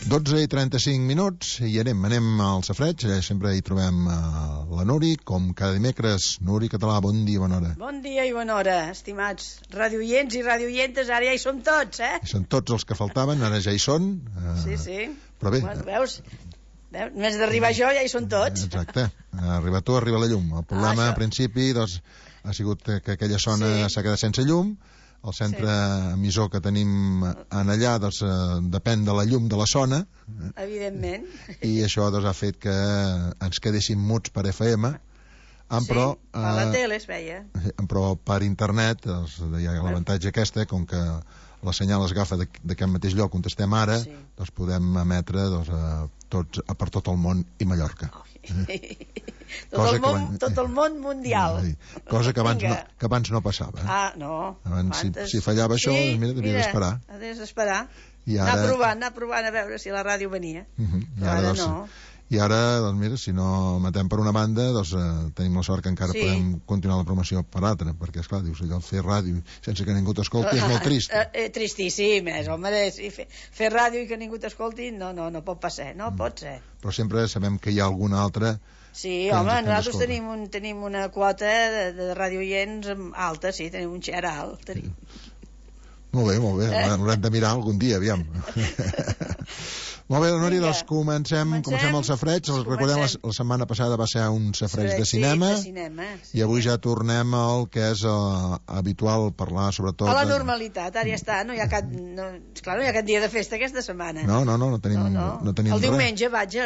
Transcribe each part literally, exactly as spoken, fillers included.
dotze i trenta-cinc minuts i anem, anem al safreig. Sempre hi trobem uh, la Nuri, com cada dimecres. Nuri Català, bon dia, bona hora. Bon dia i bona hora, estimats radioients i radioientes. Ara ja hi som tots, eh? I són tots els que faltaven, ara ja hi són. Uh, sí, sí. Però bé... Bueno, veus? Veus? Només d'arribar jo ja hi són tots. Exacte. Arriba tu, arriba la llum. El problema, ah, a principi, doncs, ha sigut que aquella zona s'ha sí. quedat sense llum. El centre sí. emissor que tenim en allà doncs, eh, depèn de la llum de la zona. Evidentment. I això doncs, ha fet que ens quedéssim muts per F M. Sí, però, eh, a la tele es veia. Però per internet doncs, hi ha l'avantatge aquesta, com que la senyal es agafa d'aquest mateix lloc on estem ara, sí. doncs podem emetre doncs, a tots, a per tot el món i Mallorca. Oh. tot, el món, abans, tot el món mundial. Sí, cosa que abans, no, que abans no passava. Ah, no. Abans, si, si fallava això, sí, mira, devia d'esperar. Havies d'esperar. I ara... Anar provant, anar provant a veure si la ràdio venia. Uh -huh. I ara, ara doncs, no. I ara, doncs mira, si no matem per una banda, doncs eh, tenim la sort que encara sí. podem continuar la promoció per altra, perquè, esclar, dius, allò, fer ràdio sense que ningú t'escolti és molt trist. Eh, eh, tristíssim, és, home, sí, fer, fer ràdio i que ningú t'escolti, no, no, no pot passar, no mm. pot ser. Però sempre sabem que hi ha alguna altra... Sí, home, nosaltres tenim, un, tenim una quota de, de radioients alta, sí, tenim un xer alt, tenim. Molt bé, molt bé, eh? L'haurem de mirar algun dia, aviam. Molt bé, Nori, doncs comencem, comencem, comencem el safreig. Sí, recordem, la, la setmana passada va ser un safreig de cinema, sí, de cinema sí. I avui ja tornem al que és uh, habitual parlar, sobretot... A la normalitat, ara ja està, no hi ha cap, no, esclar, no hi ha cap dia de festa aquesta setmana. No, no, no, no tenim, no, no. No tenim el res. Diumenge, vaig,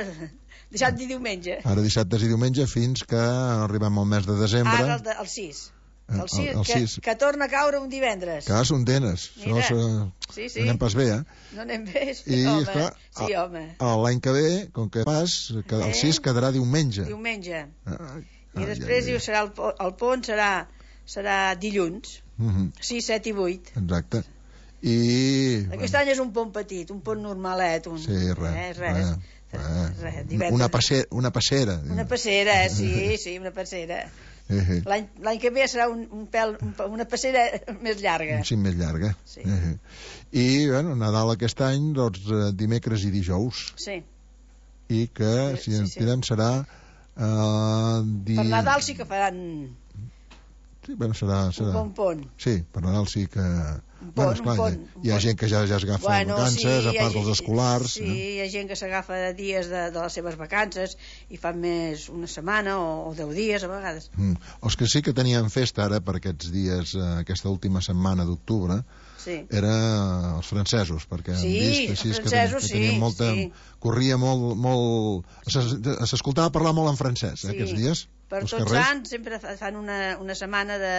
dissabte i diumenge. Ara dissabtes i diumenge fins que arribem al mes de desembre. Ara el, de, el sis. El sis, el, el que, sis. Que torna a caure un divendres. Que són denes. Mira, això, sí, sí. No anem pas bé, eh? No anem bé, sí, I, home. Esclar, sí, home. L'any que ve, com que pas, que el sis quedarà diumenge. Diumenge. Ah, I després ai, ai. serà el, el pont serà, serà dilluns. Uh -huh. sis, set i vuit. Exacte. I... Aquest bueno. any és un pont petit, un pont normalet. Un, sí, res. Eh, res. res. res una, passera, una passera. Una passera, sí, sí, una passera. Uh-huh. L'any que ve serà un, un pèl, un, una passera més llarga. Sí, més llarga. Sí. Uh-huh. I, bueno, Nadal aquest any, doncs, dimecres i dijous. Sí. I que, si sí, ens sí. tirem, serà... Uh, di... Per Nadal sí que faran... Sí, bueno, serà... serà... Un bon pont. Sí, per Nadal sí que... Un pont, bueno, esclar, un pont, hi, ha, hi ha gent que ja, ja s'agafa bueno, vacances, sí, a part gent, dels escolars. Sí, eh? Hi ha gent que s'agafa dies de, de les seves vacances i fan més una setmana o, o deu dies a vegades. Mm. Els que sí que tenien festa ara per aquests dies, eh, aquesta última setmana d'octubre, sí. era els francesos, perquè sí, hem vist així els que, ten, que tenien sí, molta... Sí. Corria molt... molt s'escoltava parlar molt en francès, eh, sí. aquests dies. Per tots carrers. Sants sempre fan una, una setmana de...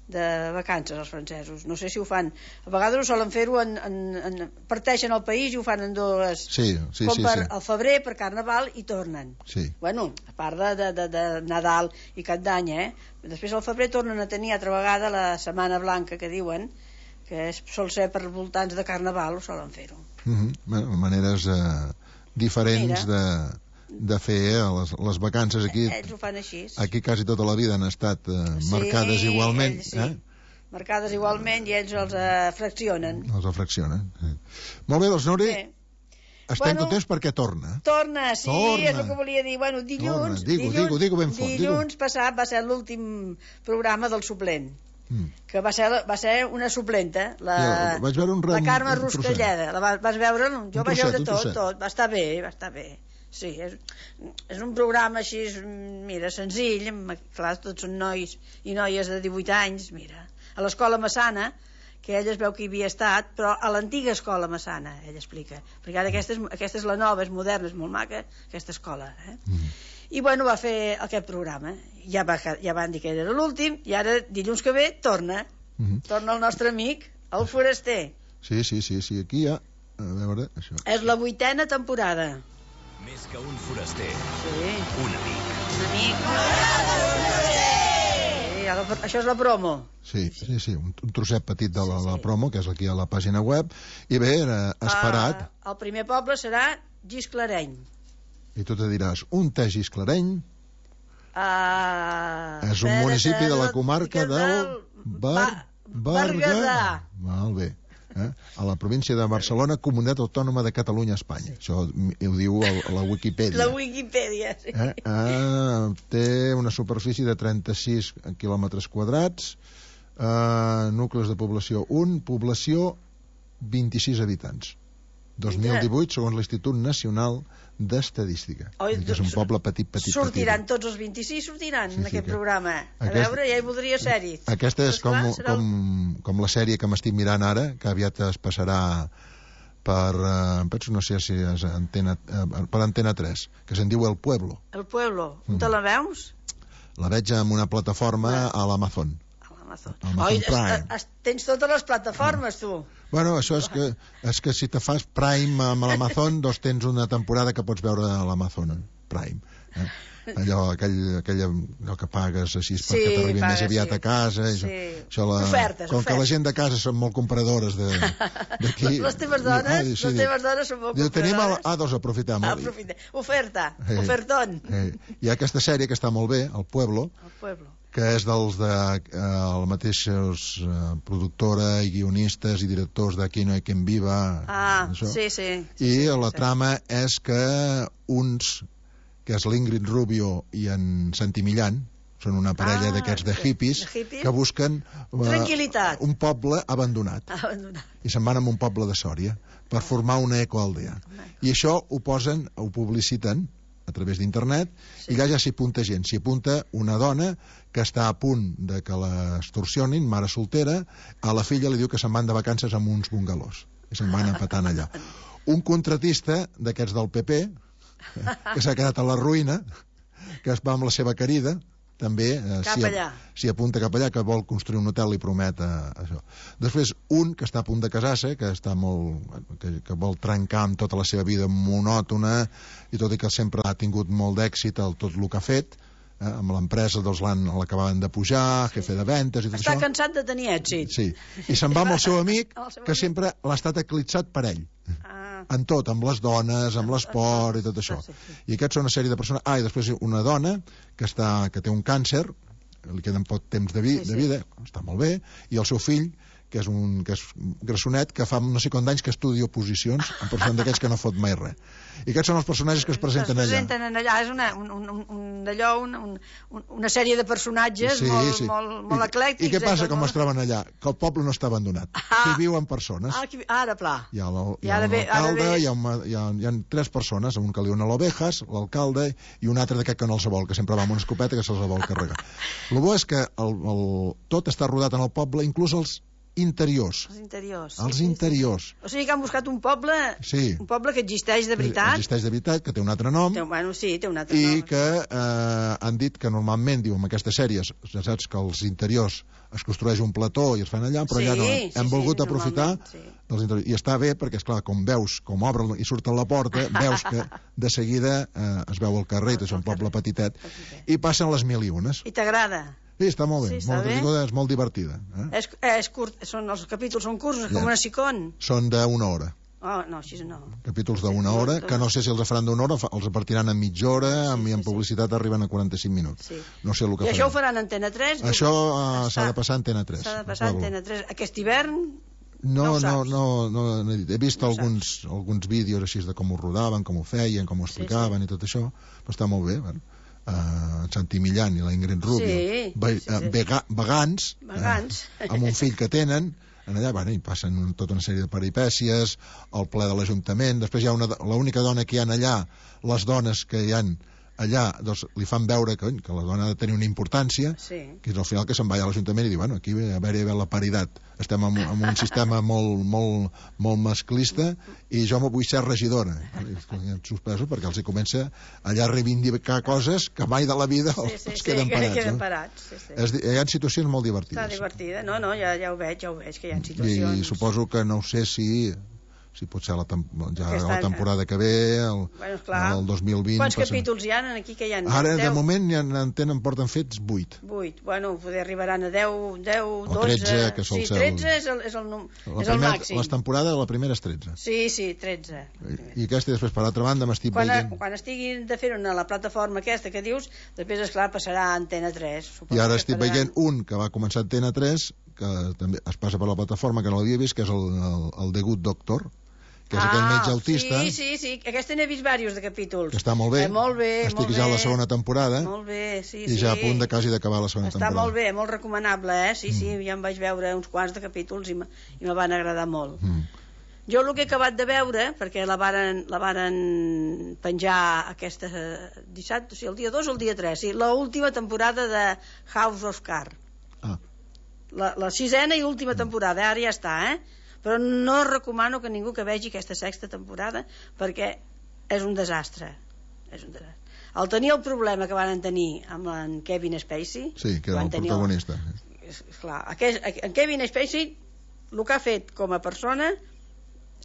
de vacances els francesos, no sé si ho fan a vegades ho solen fer-ho en, en, en parteixen el país i ho fan en dues sí, sí, com sí, per sí. al febrer per Carnaval i tornen sí. bueno, a part de, de, de, de Nadal i Cap d'Any, eh? Després al febrer tornen a tenir altra vegada la Setmana Blanca que diuen, que és, sol ser per voltants de Carnaval, ho solen fer-ho uh -huh. bueno, maneres eh, diferents Mira. de de fer eh, les, les vacances aquí. Ells ho fan així. Aquí quasi tota la vida han estat eh, sí, marcades igualment. Ells, sí. eh? Marcades igualment i ells els eh, fraccionen. Els fraccionen. Sí. Molt bé, doncs, Nori, sí. estem bueno, contents perquè torna. Torna, sí, torna. és el que volia dir. Bueno, dilluns, digo, dilluns, digo, digo ben fort, dilluns digo. passat va ser l'últim programa del suplent. Mm. Que va ser, va ser una suplenta, la, ja, vaig veure un la Carme Ruscalleda. La vas, vas veure? Jo un vaig trosset, veure tot, tot. Va estar bé, va estar bé. Sí, és, és un programa així, mira, senzill, clar, tots són nois i noies de divuit anys, mira, a l'escola Massana, que ella es veu que hi havia estat, però a l'antiga escola Massana, ella explica, perquè ara aquesta és, aquesta és la nova, és moderna, és molt maca, aquesta escola, eh? Mm. I bueno, va fer aquest programa, ja, va, ja van dir que era l'últim, i ara, dilluns que ve, torna, mm. torna el nostre amic, el Foraster. Sí, sí, sí, sí, aquí ja, a veure, això. És la vuitena temporada. Més que un foraster. Sí. Un amic. Un amic. Sí, la, això és la promo. Sí, sí, sí, un, un trosset petit de la, sí, sí. la promo, que és aquí a la pàgina web. I bé, era esperat. Uh, el primer poble serà Gisclareny. I tu te diràs, un té Gisclareny? Uh, és un municipi de la comarca del Bar... Berguedà. Molt bé. Eh? A la província de Barcelona, Comunitat Autònoma de Catalunya, Espanya. Sí. Això ho diu el, la Wikipedia. La Wikipedia, sí. Eh? Ah, té una superfície de trenta-sis quilòmetres quadrats, eh, nuclis de població un, població vint-i-sis habitants. dos mil divuit, segons l'Institut Nacional d'Estadística. Oi, que és un poble petit, petit, sortiran petit. tots els vint-i-sis, sortiran Sí, en sí, aquest que... programa. A Aquest... veure, ja hi voldria ser-hi. Aquesta és Però, com, esclar, serà el- com, com la sèrie que m'estic mirant ara, que aviat es passarà per, eh, penso, no sé si és antena, eh, per Antena tres, que se'n diu El Pueblo. El Pueblo. On Mm. te la veus? La veig en una plataforma a l'Amazon. A l'Amazon. Amazon Oi, Prime. es, es, tens totes les plataformes, tu. Bueno, això és que, és que si te fas Prime amb l'Amazon, doncs tens una temporada que pots veure a l'Amazon Prime. Eh? Allò, aquell, aquell, allò que pagues així Sí, perquè t'arribi pagues, més aviat sí. a casa. I Sí. això, això la, Ofertes, com que la ofertes. gent de casa són molt compradores de- d'aquí... Les teves dones, les teves dones són molt diu, tenim el, compradores. ah, doncs aprofitem. Ah, aprofita. Oferta, Eh, ofertón. Eh, hi ha aquesta sèrie que està molt bé, El Pueblo, El Pueblo. que és dels de eh, el mateixos eh, productora i guionistes i directors de Aquí no hay quien viva. Ah, això. sí, sí. sí I sí, la sí. trama és que uns, que és l'Ingrid Rubio i en Santi Millán, són una parella Ah, d'aquests de sí. hippies, De hippies? que busquen eh, Tranquil·litat. un poble abandonat. Abandonat. I se'n van a un poble de Sòria per formar una ecoaldea. I això ho posen, ho publiciten a través d'internet, Sí. i allà ja s'hi apunta gent. S'hi apunta una dona que està a punt de que l'extorsionin, mare soltera, a la filla li diu que se'n van de vacances amb uns bungalós, i se'n van empatant allà. Un contratista d'aquests del P P, que s'ha quedat a la ruïna, que es va amb la seva querida, també eh, Cap s'hi allà. s'hi apunta cap allà, que vol construir un hotel i promet eh, això. Després, un que està a punt de casar-se, que està molt, que, que vol trencar amb tota la seva vida monòtona, i tot i que sempre ha tingut molt d'èxit el tot el que ha fet, eh, amb l'empresa doncs l'han l'acabaven de pujar, jefe de ventes i tot Està això. cansat de tenir èxit. Sí, i se'n va amb el seu amic, El seu que amic. sempre l'ha estat eclipsat per ell. Ah, En tot, amb les dones, amb l'esport i tot això. Sí, sí. I aquests són una sèrie de persones... Ah, i després una dona que, està, que té un càncer, li queden poc temps de, vi, Sí, sí. de vida, està molt bé, i el seu fill, que és un que és grassonet, que fa no sé quant d'anys que estudia oposicions, en persona d'aquells que no fot mai res. I aquests són els personatges que es presenten es allà. presenten en allà. És una, un, un, un, un, d'allò, un, un, una sèrie de personatges molt, molt, molt eclèctics. I, I què passa eh, com molt- es troben allà? Que el poble no està abandonat, Ah. que hi viuen persones. Ah, aquí, ara, pla. Hi ha la- hi I ha ara ve- ara l'alcalde, ve- hi, ha un- hi, ha, hi ha tres persones, un que li dona l'ovejas, l'alcalde, i un altre d'aquest que no els vol, que sempre va amb una escopeta que se'ls vol carregar. El bo és que el, el, tot està rodat en el poble, inclús els interiors. Els interiors. Els sí, sí, interiors. Sí. O sigui que han buscat un poble, Sí. un poble que existeix de veritat. Existeix de veritat, que té un altre nom, Té, bueno, sí, té un altre i nom. que eh, han dit que normalment, diu, en aquestes sèries, ja saps que als interiors es construeix un plató i es fan allà, però Sí, allà no. sí, Hem sí, volgut aprofitar normalment, sí. dels interiors. I està bé perquè, esclar, com veus, com obren i surten la porta, veus que de seguida eh, es veu el carrer, i és un poble petitet, Petitet. i passen les mil i unes. I t'agrada? Sí, està molt bé, Sí, està molt bé. entretinguda, és molt divertida. Eh? És, és curt, són, els capítols són curts, Ja. com una sicón. Són d'una hora. Oh, no, així no. Capítols d'una hora, que no sé si els faran d'una hora, fa- els repartiran en mitja hora, Sí, i en sí, sí. publicitat arriben a quaranta-cinc minuts. Sí. No sé el que I això ho faran. faran a Antena tres? Això eh, Està- s'ha de passar a Antena tres. S'ha de passar a Pueblo. Antena tres. Aquest hivern? No, No ho no, saps. no, no, no he dit. He vist No ho alguns, alguns vídeos així de com ho rodaven, com ho feien, com ho Sí, explicaven i tot això, però està molt bé. Bueno. Uh, en Santi Millán i la Ingrid Rubio, Sí, ve, sí, sí. eh, vega, vegans, Vegans. eh, amb un fill que tenen, en allà bueno, hi passen un, tota una sèrie de peripècies, el ple de l'Ajuntament, després hi ha una, l'única dona que hi ha allà, les dones que hi han allà, doncs li fan veure que, que la dona ha de tenir una importància, Sí. que és al final que se'n va a l'Ajuntament i diu, bueno, aquí a veure, a veure la paritat, estem en, en un sistema molt, molt, molt masclista i jo m'ho vull ser regidora. I suspeso perquè els hi comença allà a reivindicar coses que mai de la vida Sí, els, sí, els sí, queden que parats. queden eh? parats. Sí, sí. És, hi ha situacions molt Està divertides. divertida. No, no, ja, ja ho veig, ja ho veig, que hi ha I situacions... suposo que no ho sé si si pot ser la, tem ja Aquest la any. temporada que ve, el, Bueno, esclar. el dos mil vint... Quants passen- capítols hi ha aquí que hi ha? Ara, de deu? moment, ja en tenen, porten fets vuit. Vuit. Bueno, poder arribaran a deu, deu, dotze... tretze, que sol sí, ser el- tretze és el, és el, num... La és el primera, màxim. les temporades, la primera és tretze. Sí, sí, tretze. I aquesta, després, per l'altra banda, m'estic Quan, veient... quan estiguin de fer una a la plataforma aquesta que dius, després, esclar, passarà a Antena tres. Suposo I ara que estic faran- veient un que va començar a Antena tres, que també es passa per la plataforma, que no l'havia vist, que és el, el, el The Good Doctor, que és ah, aquell metge autista. Sí, sí, sí, aquesta n'he vist diversos de capítols. Que està molt bé. Eh, molt bé, Estic molt ja bé. a la segona temporada. Molt bé, sí, i sí. I ja a punt de quasi d'acabar la segona està temporada. Està molt bé, molt recomanable, eh? Sí, mm. sí, ja em vaig veure uns quants de capítols i me van agradar molt. Mm. Jo el que he acabat de veure, perquè la varen, la varen penjar aquesta dissabte, o sigui, el dia dos o el dia tres, sí, l'última temporada de House of Cards. Ah. La, la sisena i última temporada, ara ja està, eh? Però no recomano que ningú que vegi aquesta sexta temporada perquè és un desastre. És un desastre. El tenir el problema que van tenir amb en Kevin Spacey... Sí, que era el protagonista. El, clar, aquest, en Kevin Spacey el que ha fet com a persona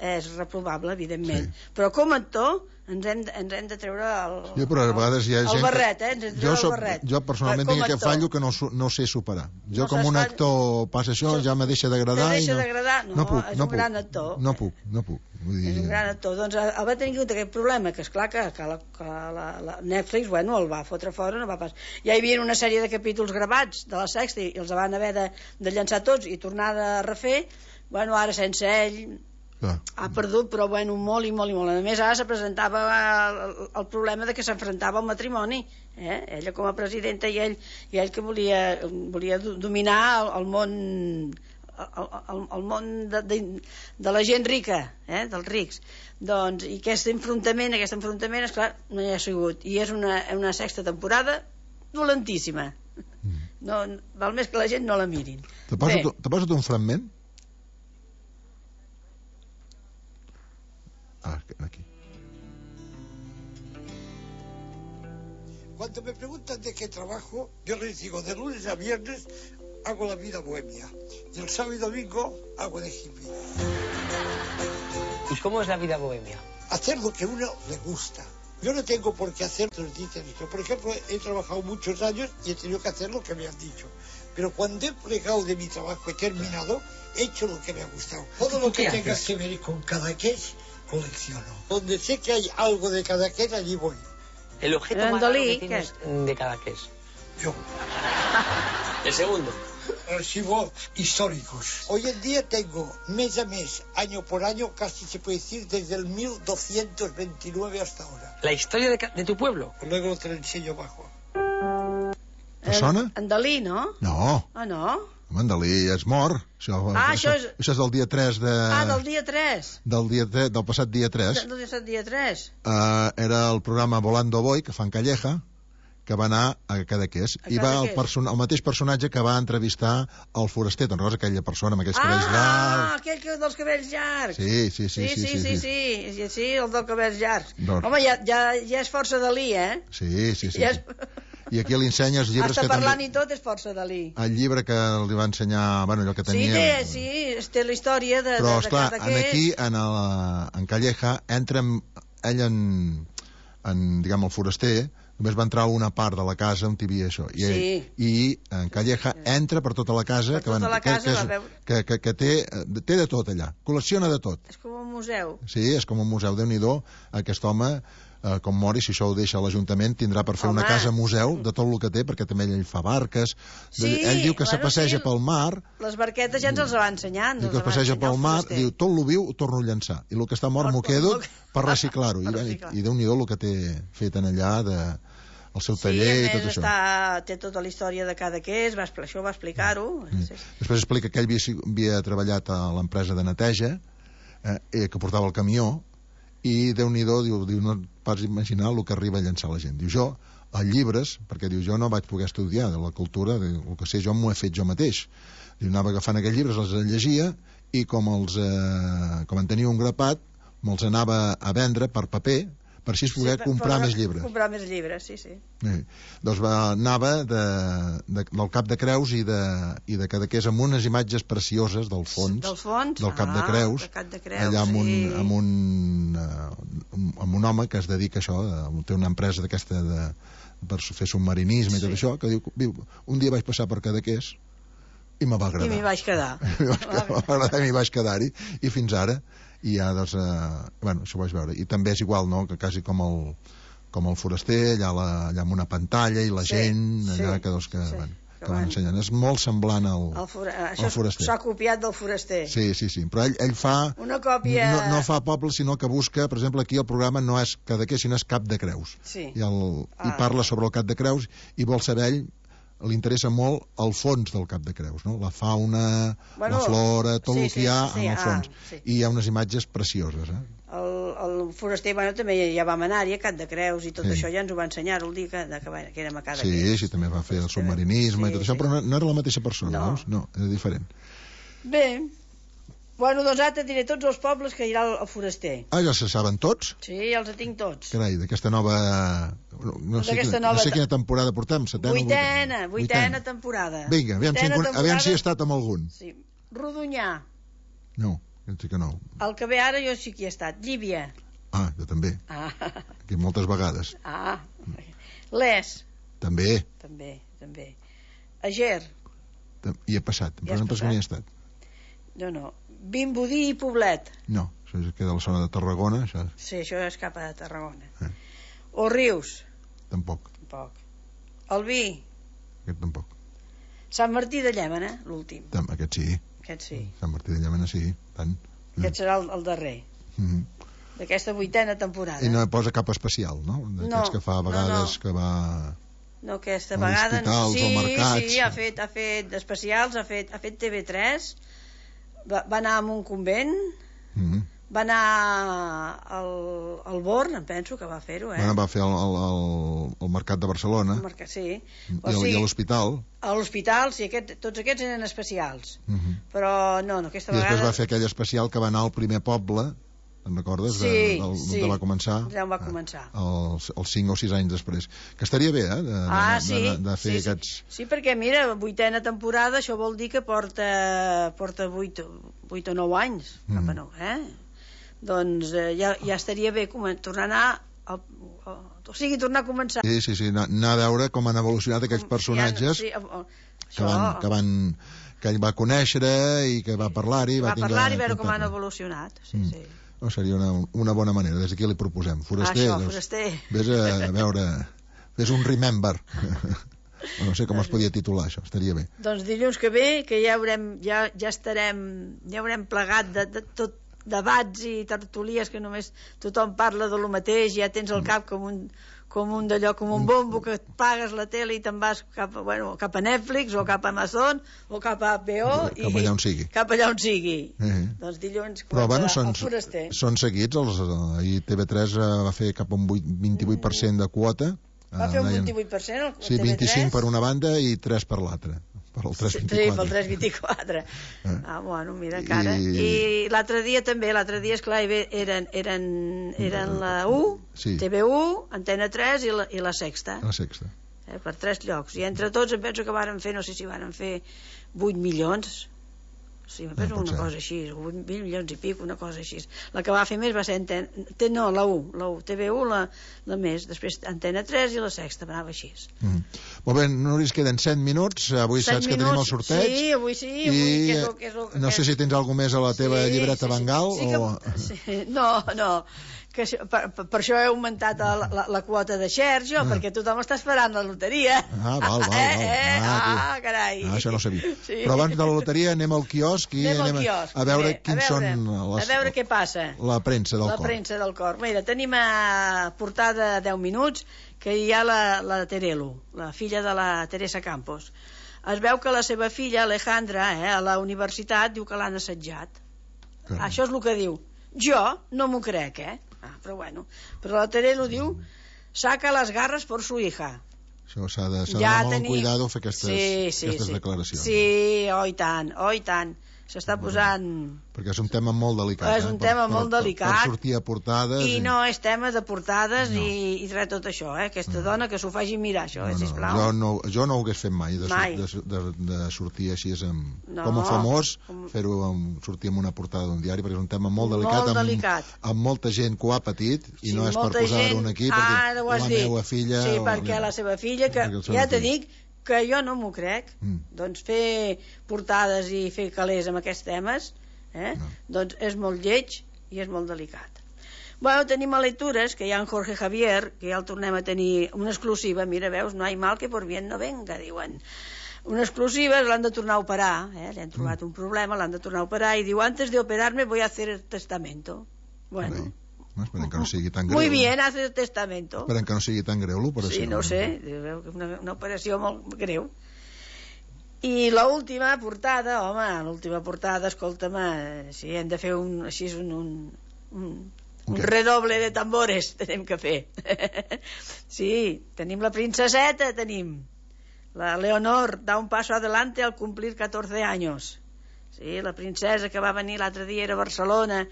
és reprovable, evidentment. Sí. Però com a actor ens hem, ens hem de treure el, jo, però a vegades hi ha el gent barret, eh? Ens hem de treure jo, soc, el barret. Jo personalment tinc aquest fallo que no, no sé superar. Jo no com un actor passa això, ja me deixa d'agradar. Te deixa no, d'agradar? No, no puc, és no un puc, gran actor. No puc, no puc. Vull dir... És un gran actor. Doncs el va tenir aquest problema, que esclar que, que, la, que la, la Netflix, bueno, el va fotre fora, no va pas. Ja hi havia una sèrie de capítols gravats de la sexta i els van haver de, de llançar tots i tornar a refer. Bueno, ara sense ell... Ah. Ha perdut, però bueno, molt i molt i molt. A més, ara se presentava el, el problema de que s'enfrontava al matrimoni, eh? Ella com a presidenta i ell, i ell que volia, volia dominar el, el món el, el, el món de, de, de la gent rica, eh? Dels rics. Doncs, i aquest enfrontament, aquest enfrontament, esclar, no hi ha sigut. I és una, una sexta temporada dolentíssima. Mm. No, val més que la gent no la mirin. Te poso un fragment? Ah, aquí. Cuando me preguntan de qué trabajo, yo les digo, de lunes a viernes hago la vida bohemia y el sábado y domingo hago de hippie. ¿Y cómo es la vida bohemia? Hacer lo que uno le gusta. Yo no tengo por qué hacer, nos dicen esto. Por ejemplo, he trabajado muchos años y he tenido que hacer lo que me han dicho. Pero cuando he plegado de mi trabajo, he terminado, he hecho lo que me ha gustado. Todo lo que tenga que ver con Cadaqués, colecciono. Donde sé que hay algo de Cadaqués, allí voy. ¿El objeto más raro que tienes de Cadaqués? Yo. ¿El segundo? Archivos históricos. Hoy en día tengo mes a mes, año por año, casi se puede decir desde el mil doscientos veintinueve hasta ahora. ¿La historia de, de tu pueblo? Luego te lo enseño abajo. ¿Te sona? En Dalí, no? No. Ah, no? Home, en Dalí és mort. Això, ah, això, això és... Això és del dia tres de... Ah, del dia tres. Del, dia tre... del passat dia tres. Del passat dia tres. Uh, era el programa Volando Boy, que fa en Calleja, que va anar a Cadaqués. I va el, person... el mateix personatge que va entrevistar el foraster, te'n recordes aquella persona amb aquells ah, cabells llargs? Ah, aquell que dels cabells llargs. Sí, sí, sí. Sí, sí, sí, sí, sí, sí, sí, sí el dels cabells llargs. Doncs... Home, ja, ja, ja és força Dalí, eh? Sí, sí, sí. Ja és... I aquí li ensenya els llibres Hasta que parlant també... i tot és força Dalí. El llibre que li va ensenyar, bueno, allò que tenia... Sí, té, sí, té la història de, però, de, de esclar, cada en aquí, en, el, en Calleja, entra ell en, en, diguem, el foraster, només va entrar a una part de la casa on hi havia això. I, sí. I en Calleja entra per tota la casa, per tota que, la casa que, la que, veu... que, que, que té, té de tot allà, col·lecciona de tot. És com un museu. Sí, és com un museu. Déu-n'hi-do, aquest home... Uh, com mori, si això ho deixa a l'Ajuntament, tindrà per fer Home. una casa museu de tot el que té, perquè també ell fa barques. Sí, ell diu que bueno, se passeja sí, pel mar. Les barquetes ja ens els va ensenyant. Diu que es passeja pel mar, diu, tot lo viu ho torno a llançar. I el que està mort m'ho quedo per reciclar-ho. I, reciclar. I, i Déu-n'hi-do el que té fet en allà de, el seu taller sí, i tot això. Està, té tota la història de cada que és, va, això va explicar-ho. Mm. Sí. Després explica que ell havia, havia treballat a l'empresa de neteja, eh, que portava el camió, i Déu-n'hi-do, diu, diu, no et pots imaginar el que arriba a llançar la gent. Diu, jo, a llibres, perquè diu, jo no vaig poder estudiar de la cultura, diu, el que sé jo m'ho he fet jo mateix. Diu, anava agafant aquells llibres, els llegia, i com els, eh, com en tenia un grapat, me'ls anava a vendre per paper, per així poder sí, comprar per, més llibres. Comprar més llibres, sí, sí. sí. Doncs va, anava de, de, del Cap de Creus i de, i de Cadaqués amb unes imatges precioses del fons, del, fons? del Cap ah, de Creus, Cap de Creus allà amb un, sí. amb, un, uh, amb un home que es dedica a això, uh, té una empresa d'aquesta de, per fer submarinisme sí. i tot això, que diu, diu, un dia vaig passar per Cadaqués i me va agradar. I m'hi vaig quedar. I m'hi vaig quedar-hi, i fins ara i ja, doncs, eh, bueno, això ho vaig veure. I també és igual, no?, que quasi com el, com el foraster, allà, la, allà amb una pantalla i la sí, gent, allà sí, que, doncs, que, sí. bueno, que van ensenyant. És molt semblant al, el for... al Això foraster. s'ha copiat del foraster. Sí, sí, sí, però ell, ell fa... Una còpia... No, no fa poble, sinó que busca, per exemple, aquí el programa no és Cadaqués, sinó és Cap de Creus. Sí. I, el, ah. i parla sobre el Cap de Creus i vol saber ell, li interessa molt el fons del Cap de Creus, no? La fauna, bueno, la flora, tot sí, el que sí, hi ha sí, en el fons. Ah, sí. I hi ha unes imatges precioses, eh? El, el foraster, bueno, també ja vam anar-hi a Cap de Creus i tot Sí. això ja ens ho va ensenyar el dia que, que, que érem a Cadaqués. Sí, sí, també va fer el submarinisme sí, i tot això, sí. però no, no era la mateixa persona, No. veus? No, era diferent. Bé, bueno, doncs ara te diré tots els pobles que hi ha al foraster. Ah, ja se saben tots? Sí, ja els tinc tots. Carai, d'aquesta nova... No, no, sé D'aquesta quina, nova... no sé quina temporada portem, setena Vuitena, o vuitena? vuitena temporada. Vinga, aviam, si, Vuitena en- aviam si he estat amb algun. Sí. Rodonyà, No, jo sí que no. el que ve ara jo sí que hi he estat. Llívia. Ah, jo també, Ah, aquí moltes vegades. ah. Les, També, també, també. Ager, tam- hi he passat, Hi però has no pas que passat? n'hi he estat. no, no. Vimbodí i Poblet. No, això és- queda a la zona de Tarragona, això Sí, això és cap a Tarragona. Eh. O Rius, tampoc, tampoc. El Vi, aquest tampoc. Sant Martí de Llémena, l'últim. Tam, aquest sí, Aquest sí. Sant Martí de Llémena sí, tant. Aquest serà el, el darrer, Mhm. d'aquesta vuitena temporada. I no posa cap especial, no? D'aquests No, que fa a no, vegades no. que va... No, aquesta A vegada... hospitals sí, o mercats. sí, ha fet, ha fet especials, ha fet, ha fet T V tres, va, va anar a un convent, Mhm. va anar al, al Born, em penso que va fer-ho, eh? Bueno, va fer el, el, el, el Mercat de Barcelona Al mercat, sí. i, O el, sigui, i a l'hospital. a l'hospital, sí, aquest, tots aquests eren especials. Mhm. Però no, no, aquesta I després vegada... va fer aquell especial que va anar al primer poble, te'n recordes? Sí, de, del, sí. de va començar? Ja va començar. Els, els cinc o sis anys després. Que estaria bé, eh? De, Ah, de, sí, de, de fer sí, aquests... sí. Sí, perquè mira, vuitena temporada, això vol dir que porta, porta vuit, vuit o nou anys, Mm. cap a nou, eh? Doncs eh, ja, ja estaria bé comen- tornar a anar, al, al, o sigui, tornar a començar. Sí, sí, sí, anar, anar a veure com han evolucionat aquells personatges Ja, sí, o- o- que, van, que van que ell va conèixer i que va parlar-hi, va, va tindre parlar i veure com han contacte. evolucionat. Sí, Mm. sí. No, seria una, una bona manera, des d'aquí li proposem. Foraster, Això, doncs, foraster. vés a, a veure, fes un remember. No sé com es podia titular això, estaria bé. Doncs dilluns que ve, que ja haurem, ja, ja estarem, ja haurem plegat de, de tot debats i tertulies que només tothom parla de lo mateix, ja tens al cap com un, com un d'allò, com un bombo que et pagues la tele i te'n vas cap, a- bueno, cap a Netflix o cap a Amazon o cap a H B O Cap allà on sigui. cap allà on sigui. Eh. Doncs dilluns Però bueno, començarà són, el foraster. són seguits els, ahir T V tres va fer cap a un vuit- vint-i-vuit per cent de quota. Va Eh, fer un deien- vint-i-vuit per cent el Sí, T V tres? vint-i-cinc per una banda i tres per l'altra, per el tres Sí, vint-i-quatre. pel tres vint-i-quatre. Eh. Ah, bueno, mira, encara. I- I, l'altre dia també, l'altre dia, esclar, hi ve- eren, eren, eren la U, Sí. T V u, Antena tres i la, i la Sexta, La sexta. eh, per tres llocs. I entre tots em penso que varen fer, no sé si varen fer vuit milions, sí, em penso pot una ser. cosa així, vuit milions i pic, una cosa així. La que va fer més va ser Antena, te- no, la U, la U, T V u, la, la més, després Antena tres i la Sexta, anava així. Mm. Molt bé, Núria, ens queden set minuts. Avui Set saps que tenim el minuts. sorteig. Sí, avui sí, avui, I que és el- que és el- no sé si tens alguna més a la teva llibreta Bengal sí, que, o... sí, no, no que això- per, per, per això he augmentat la, la, la quota de share jo, Ah. perquè tothom està esperant la loteria. Ah, val, val, val. eh, eh, Ah, ah, carai, Ah, això no ho sabia. Sí. Però abans de la loteria anem al quiosc i anem al anem a- quiosc, a veure bé, quins a veure, són les, a veure què passa la premsa del la cor. premsa del cor. Mira, tenim a portada deu minuts que hi ha la, la Terelu, la filla de la Teresa Campos. Es veu que la seva filla, Alejandra, eh, a la universitat, diu que l'han assetjat. Caram. Això és el que diu. Jo no m'ho crec, eh? Ah, però bueno. Però la Terelu diu saca les garres per su hija. Això s'ha de, s'ha Ja de molt tenim- cuidado fer aquestes, sí, sí, aquestes sí. declaracions. Sí, oh i tant, oh i tant. S'està posant... Perquè és un tema molt delicat. És un eh? tema per, molt per, delicat. Per sortir a portades... I no és tema de portades No. i, i res tot això, eh? Aquesta dona que s'ho faci mirar, això, eh, no, no, sisplau. jo, no, jo no ho hagués fet mai, de, Mai. de, de, de sortir així amb, No. com a famós, Com- fer-ho amb, sortir en una portada d'un diari, perquè és un tema molt delicat, Molt amb, delicat. amb molta gent que ho ha patit, i Sí, no és per molta posar-ho gent- aquí, Ara ho perquè has la dit. meva filla... Sí, o- perquè la seva filla, que perquè el seu ja te fill. dic que jo no m'ho crec, Mm. doncs fer portades i fer calés amb aquests temes, eh? No. doncs és molt lleig i és molt delicat. Bueno, tenim a lectures, que hi ha en Jorge Javier, que ja el tornem a tenir una exclusiva, mira, veus, no hay mal que por bien no venga, diuen. una exclusiva, l'han de tornar a operar, eh? Li han trobat mm. un problema, l'han de tornar a operar, i diu, antes de operarme voy a hacer el testamento. Bueno... No, esperen que no sigui tan greu. Muy bien, hace el testamento. Esperen que no sigui tan greu l'operació. Sí, no ho sé, una, una operació molt greu. I l'última portada, home, l'última portada, escolta'm, si hem de fer un, així un, un, un, un redoble de tambores, tenim que fer. Sí, tenim la princeseta, tenim. La Leonor da un paso adelante al cumplir catorze años. Sí, la princesa que va venir l'altre dia era a Barcelona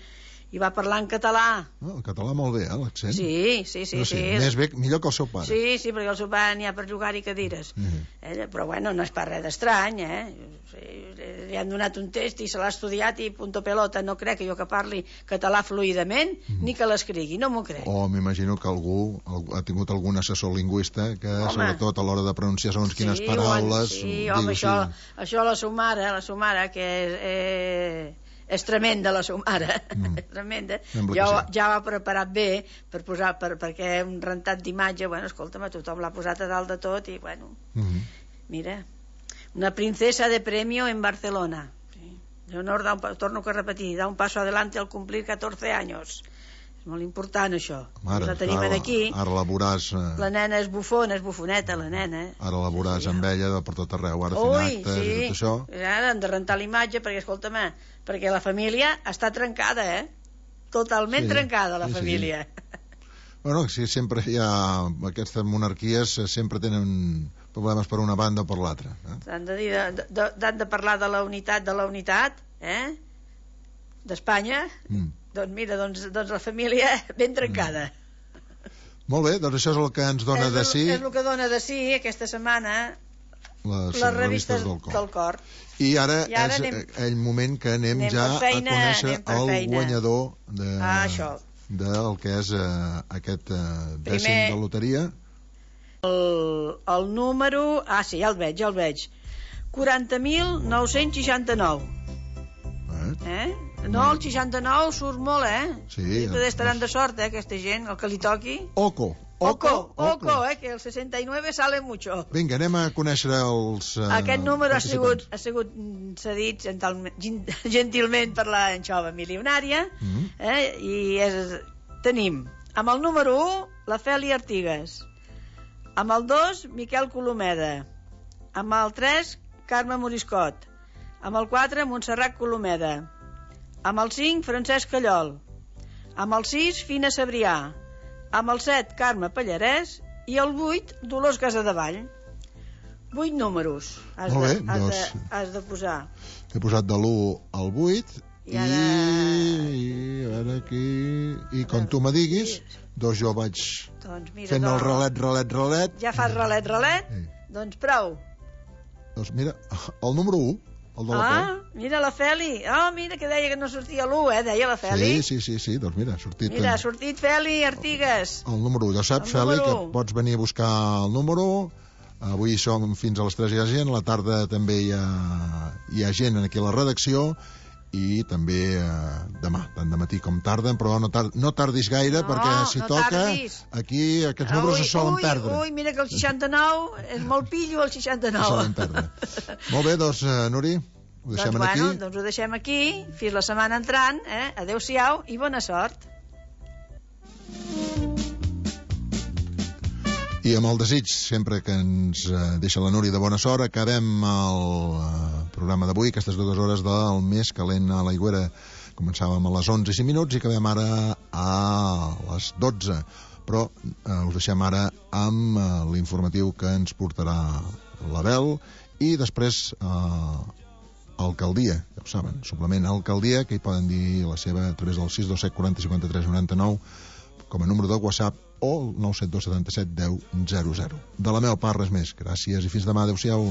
i va parlar en català. Oh, el català molt bé, eh, l'accent. Sí, sí, sí. sí, sí. Més bé, millor que el seu pare. Sí, sí, perquè el seu pare n'hi ha per jugar-hi cadires. Mm. Eh, però bueno, no és pas res d'estrany, eh? Sí, li han donat un test i se l'ha estudiat i punto pelota. No crec que jo que parli català fluidament, mm. ni que l'escrigui, no m'ho crec. O m'imagino que algú ha tingut algun assessor lingüista que, home, sobretot a l'hora de pronunciar segons sí, quines paraules... Sí, home, això, això la seva mare, la seva mare, que és... Eh, és tremenda la seva mare, mm. és tremenda. Ja, sí. ja ho ha preparat bé per posar, per, perquè un rentat d'imatge, bueno, escolta'm, tothom l'ha posat a dalt de tot i, bueno, mm-hmm. mira, una princesa de premio en Barcelona. Sí. Leonor, da un, torno a repetir, da un paso adelante al cumplir catorze años. És molt important, això. Ara, la tenim ara, aquí. Ara la veuràs... Eh... La nena és bufona, és bufoneta, la nena. Ara la veuràs sí, amb ella per tot arreu, ara fent actes sí. i tot això. Ara han de rentar l'imatge, perquè, escolta'm, perquè la família està trencada, eh? Totalment sí, trencada, la sí, família. Sí. Bueno, sí, sempre hi ha... Aquestes monarquies sempre tenen problemes per una banda o per l'altra. Eh? Han de dir, de, de, de, de parlar de la unitat, de la unitat, eh? D'Espanya... Mm. Doncs mira, doncs, doncs la família ben trencada. Mm. Molt bé, doncs això és el que ens dona és de sí. És el que dona de sí aquesta setmana les, les revistes del cor. del cor. I ara, I ara és anem, el moment que anem, anem ja feina, a conèixer el feina. guanyador de, ah, del que és uh, aquest uh, dècim Primer, de loteria. El, el número... Ah, sí, ja el veig, ja el veig. quaranta mil nou-cents seixanta-nou. Eh? No, el seixanta-nou surt molt, eh? Sí. I estaran de sort, eh, aquesta gent, el que li toqui. Oco. Oco, oco, oco, eh, que el seixanta i nou sale mucho. Vinga, anem a conèixer els uh, Aquest número ha sigut, ha sigut cedit gentilment per la Anxova Milionària, mm -hmm. eh, i és, tenim amb el número u la Feli Artigas, amb el dos Miquel Colomeda, amb el tres Carme Moriscot, amb el quatre Montserrat Colomeda, amb el cinc Francesc Callol, amb el sis Fina Sabrià, amb el set Carme Pallarès i el vuit Dolors Casadevall. vuit números has, Molt bé, de, has, doncs, de, has de posar. He posat de l'u al vuit i, ara... i a veure aquí i com tu me diguis, doncs jo vaig doncs mira, fent doncs, el relet, relet, relet. Ja fas relet, relet? Sí. Doncs prou. Doncs mira, el número u, el de la Ah, Fe. mira la Feli. Ah, oh, mira que deia que no sortia l'u, eh? Deia la Feli. Sí, sí, sí, sí. Doncs mira, ha sortit... Mira, ha sortit Feli Artigas. El, el número u. Ja saps, Feli, que pots venir a buscar el número. Avui som fins a les tres, hi ha gent. A la tarda també hi ha, hi ha gent aquí a la redacció. I també eh, demà, tant de matí com tarda, però no, tar no tardis gaire, no, perquè si no toca, tardis. aquí aquests números ui, es solen ui, perdre. Ui, mira que el seixanta-nou és molt pillo, el seixanta-nou. Es solen perdre. Molt bé, doncs, uh, Nuri, ho deixem doncs, aquí. Bueno, doncs ho deixem aquí, fins la setmana entrant, eh? Adéu-siau i bona sort. I amb el desig, sempre que ens uh, deixa la Núria de bona sort, acabem el uh, programa d'avui, aquestes dues hores del més calent a l'Aigüera. Començàvem a les onze i cinc minuts i acabem ara a les dotze. Però uh, us deixem ara amb uh, l'informatiu que ens portarà l'Abel i després uh, Alcaldia, ja ho saben, suplement Alcaldia, que hi poden dir la seva a través del sis dos set quaranta cinquanta tres noranta nou com a número de WhatsApp o el nou set dos setanta set deu zero zero. De la meva part res més. Gràcies i fins demà. Adéu-siau.